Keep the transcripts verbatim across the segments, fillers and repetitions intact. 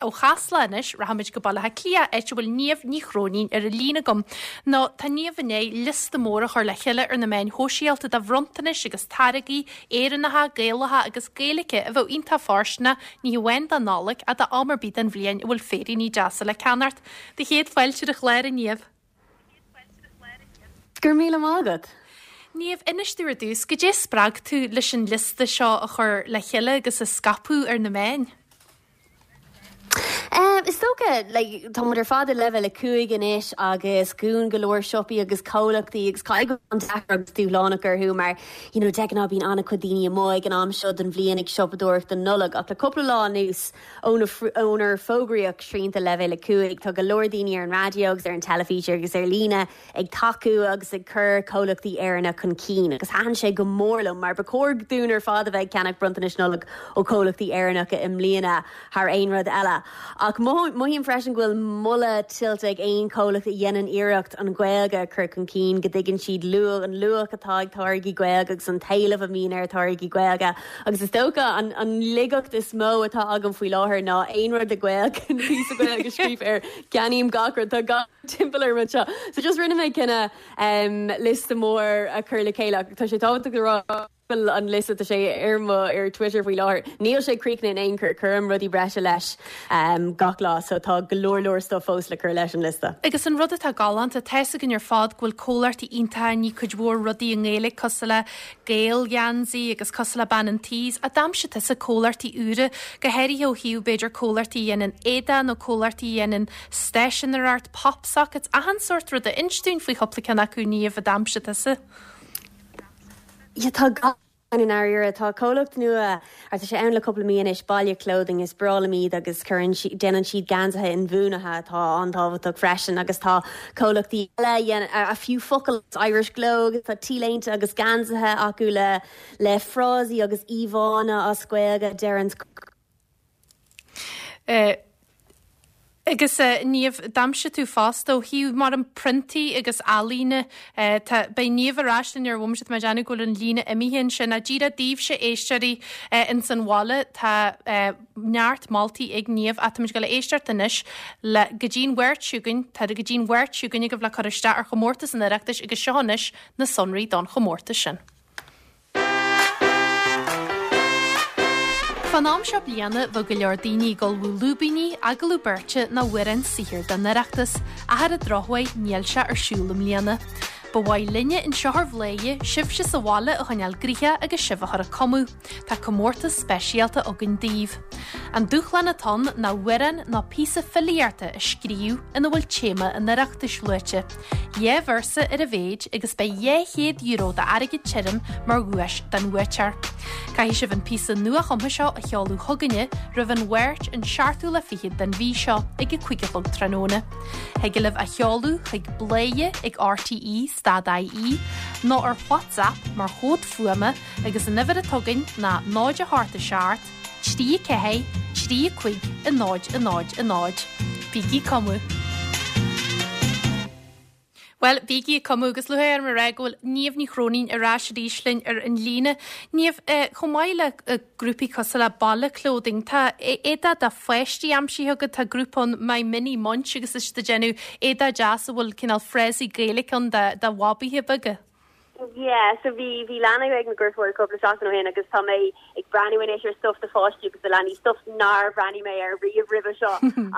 Ó Chasla anois rachaimid go Baile Átha Cliath áit a bhfuil Niamh Ní Chróinín ar an líne agam. Nó tá Niamh i ndiaidh liosta mór a chur le chéile ar na meáin shóisialta de bhronntanais agus táirgí Éireannacha, Gaelacha agus Gaeilge a bheadh iontach fóirsteanach ní hamháin don Nollaig ach d'am ar bith den bhliain a bhfuil féiríní deasa le ceannacht. Do chéad fáilte ar an chlár a Niamh. Go raibh míle maith agat. Niamh, inis dúinn ar dtús, goidé spreag tú leis an liosta seo a chur le chéile agus a scaipeadh ar na meáin. Um, is dócha like, tá muid ar fad i leibhéal a cúig anois agus dhún go leor siopaí agus comhlachtaí agus caithfidh an deacair agus dúshlánach orthu mar you know, de ghnáth bíonn an-chuid daoine amuigh ag an am seo den bhliain ag siopadóireacht don Nollaig ach le cúpla lá anuas ónar fógraíodh srianta leibhéal a cúig tá go leor daoine ar an raidió agus ar an teilifís agus ar líne ag tacú agus ag cur comhlachtaí Éireannacha chun cinn agus thaitin sé go mór liom mar ba chóir dúinn ar fad a bheith ag ceannach bronntanais Nollag ó chomhlachtaí Éireannacha i mbliana thar aon rud eile. Ach mothaím freisin go bhfuil moladh tuillte ag aon chomhlacht a dhéanann iarracht an Ghaeilge a chur chun cinn go dtuigeann siad luach an luach atá ag táirgí Gaeilge agus an t-éileamh a bhíonn ar táirgí Gaeilge. agus is dócha an, an laigeacht is mó atá agam faoi láthair ná aon rud le Gaeilge píosa Gaeilge scríofa air ceannaím gach rud tá gach timpeall ar seo. So just rinne mé cinneadh um, liosta mór a chur le chéile tá sé tábhachtach rá an liosta tá sé ar mo ar Twitter faoi láthair. Níl sé críochnaithe in aon chor cuirim rudaí breise leis um, gach lá, so tá go leor leor stuff fós le cur leis an liosta. Agus an rud atá galánta tá a fhios againn ar fad go bhfuil comhlachtaí iontacha ní cuid mhór rudaí i nGaeilge cosúil le Gaelgheansaí agus cosúil le Bean an Tí ach d'aimsigh tusa comhlachtaí úra go háirithe ó thaobh b'fhéidir comhlachtaí a dhéanann éadaí nó comhlachtaí a dhéanann stáisiúnaíocht pop sockets achan sórt ruda inis dúinn faoi chúpla ceann acu Niamh a d'aimsigh tusa. Ja tá ga in áirithe tá comhlacht nua ar tá sé ann le cúpla mí anois Baile Clothing is breá liom iad agus cuireann déanann siad geansaithe inbhuanaithe atá an-tábhachtach freisin agus tá comhlachtaí eile a fiú focal Irish Glow tá t-léinte agus geansaithe acu le le frásaí agus íomhánna as Gaeilge deireann. Uh, Agus uh, Niamh d'aimsigh tú fosta ó thaobh mar an priontaí agus ealaíne uh, beidh Niamh ar ais linn ar bhomaite mar déanamh go bhfuil an líne imithe sin a díreach daoibhse éisteoirí uh, in san bhaile tá uh, neart moltaí ag Niamh táimid ag gabháil éisteacht anois le go dtí'n Mháirt seo chugainn tá go dtí'n Mháirt seo chugainn go bhfuil cur isteach ar chomórtas an Oireachtais agus seo anois na sonraí don chomórtas sin. Fán am seo bliana bheadh go leor daoine ag ullmhú lúibíní, agallamh beirte nó amhrán saothair don Oireachtas, ach ar an drochuair níl sé ar siúl i mbliana. Ba mhaith linne anseo ar Bhladhaire sibhse sa bhaile a choinneáil gnoitheach agus sibh a chur ag cumadh. Tá comórtas speisialta againn daoibh. An dúshlán atá ann ná amhrán nó píosa filíochta a scríobh ina bhfuil téama an Oireachtais luaite. Dhá véarsa ar a mhéid agus beidh dhá chéad euro d'airgead tirim mar dhuais don bhuaiteoir. Caithfidh sibh an píosa nuachumtha seo a sheoladh chugainne roimh an Mháirt an seachtú lá fichead den mhí seo ag a cúig a chlog tráthnóna. Thig libh a sheoladh chuig bladhaire ag RTE stad IE nó ar WhatsApp mar chomhad fuaime agus an uimhir atá againn ná náid a hocht a seacht, trí ceathair, trí cúig a náid a náid a náid. Bígí ag cumadh. Well, bígí ag cumadh agus lúcháir orm a rá go bhfuil Niamh Ní Chróinín ar ais arís linn ar an líne. Niamh eh, chomh maith le eh, grúpaí cosúil le Baile Clothing, tá éadaí do pháistí aimsithe agat tá grúpa ann My Mini Munch agus is ag déanamh éadaí deas a bhfuil cineál frásaí Gaeilge ann do bhabaithe beaga. Yeah, so bhí bhí leanbh ag mo dheirfiúr cúpla seachtain ó shin agus tá mé ag breathnú anois ar stuff do pháistí agus do leanaí stuff nár bhreathnaigh mé ar riamh roimhe seo.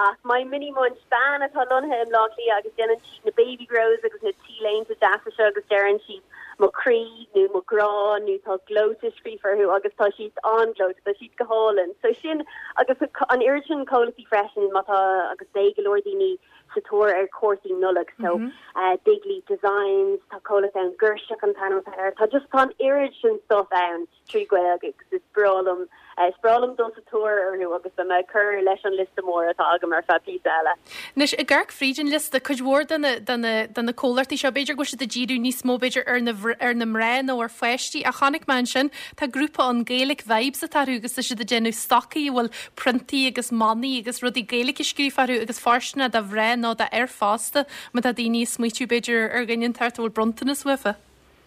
Ach My Mini Munch bean atá lonnaithe i mBleá Cliath agus déanann siad na baby grows agus na t-léinte deasa seo agus deireann siad mo chroí nó mo ghrá nó tá gleoite scríofa orthu agus tá siad an-ghleoite, tá siad go hálainn. So sin agus an oiread sin comhlachtaí freisin má tá agus beidh go leor daoine sa tóir ar cártaí Nollag so mm -hmm. uh, Big Leap Designs tá comhlacht ann Girseach an t-ainm air tá just tá an oiread sin stuff ann trí Ghaeilge agus is breá liom uh, is breá liom dul sa tóir orthu agus beidh mé ag cur leis an liosta mór atá agam ar feadh píosa eile. Anois ag amharc fríd an liosta cuid mhór de na comhlachtaí seo b'fhéidir go siad ag díriú níos mó b'fhéidir ar na ar na mná nó ar pháistí a chonaic mé ansin tá grúpa an Gaelic Vibes atá agus tá siad ag déanamh stocaí a bhfuil priontaí agus manaí agus rudaí Gaeilge scríofa orthu agus fóirsteanach do mhná nó d'fhir fosta má tá daoine ag smaoitiú b'fhéidir ar dhuine inteacht a bhfuil bronntanas uafa.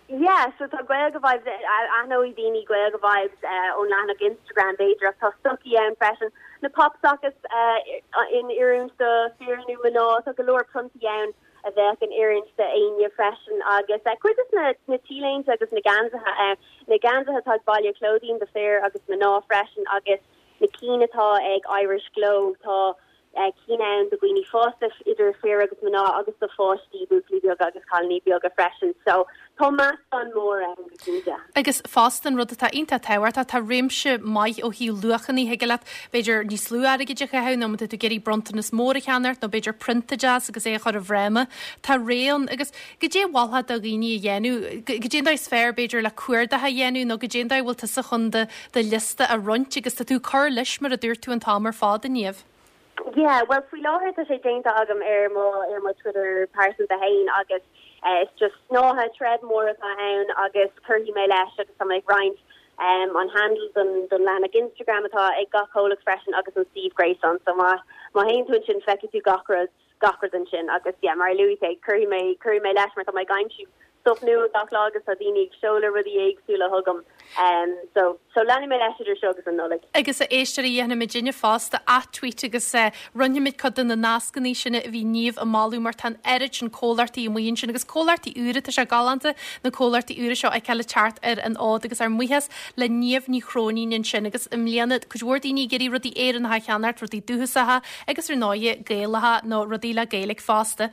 Yeah, so tá Gaeilge Vibes aithneoidh daoine Gaeilge Vibes uh, ón leathanach Instagram b'fhéidir ach tá stocaí ann freisin. na pop sockets uh, in oiriúint do fir nó mná tá go leor priontaí ann a bheith in oiriúint d'éinne freisin agus uh, cuid na na t-léinte agus na geansaithe uh, na geansaithe atá Baile Clóidín do fir agus mná freisin agus na cinn atá ag Irish Glow tá uh, cinn ann do dhaoine fásta idir fir agus mná agus do pháistí buachaillí beaga agus cailíní beaga freisin so tá meascán mór ann go cinnte. Agus fosta an rud atá iontach tábhachtach tá réimse maith ó thaobh luachanna thig leat b'fhéidir níos lú airgid a chaitheamh nó tú ag iarraidh bronntanas mór a cheannacht nó b'fhéidir prionta deas agus é chur i bhfráma Tá raon agus goidé a mholfá do dhaoine a dhéanamh goidé an dóigh is fearr b'fhéidir le cuardach a dhéanamh nó goidé an dóigh bhfuil tusa chun do do liosta a roinnt agus tá tú cur leis mar a dúirt tú an t-am ar fad inniu. Yeah, well faoi láthair tá sé déanta agam ar mo ar mo Twitter pearsanta féin agus uh, it's just snáithe thread mór atá ann agus cuirfidh mé leis agus tá ag roinnt um, an handle don don leathanach Instagram atá ag gach comhlacht freisin agus an suíomh gréasáin so má má théann tú ansin feicfidh tú gach rud gach rud ansin agus yeah, mar luaigh mé cuirfidh mé cuirfidh mé leis mar tá mé ag aimsiú stuff nua gach lá agus tá daoine ag seoladh rudaí éagsúla chugam um, so so leanfaidh mé leis idir seo agus an Nollaig. Agus a éisteoirí dhéanfaimid inniu fosta ath-tweet agus uh, roinnfimid cuid de na nascanna sin a bhí Niamh ag moladh mar tá an oiread sin comhlachtaí amuigh ansin agus comhlachtaí úra tá sé galánta na comhlachtaí úra seo ag le teacht ar an fhód agus ár mbuíochas le Niamh Ní Chróinín ansin agus i mbliana cuid mhór daoine ag iarraidh rudaí Éireannacha a cheannacht rudaí dúchasacha agus ar ndóigh Gaelacha nó rudaí le Gaeilge fosta.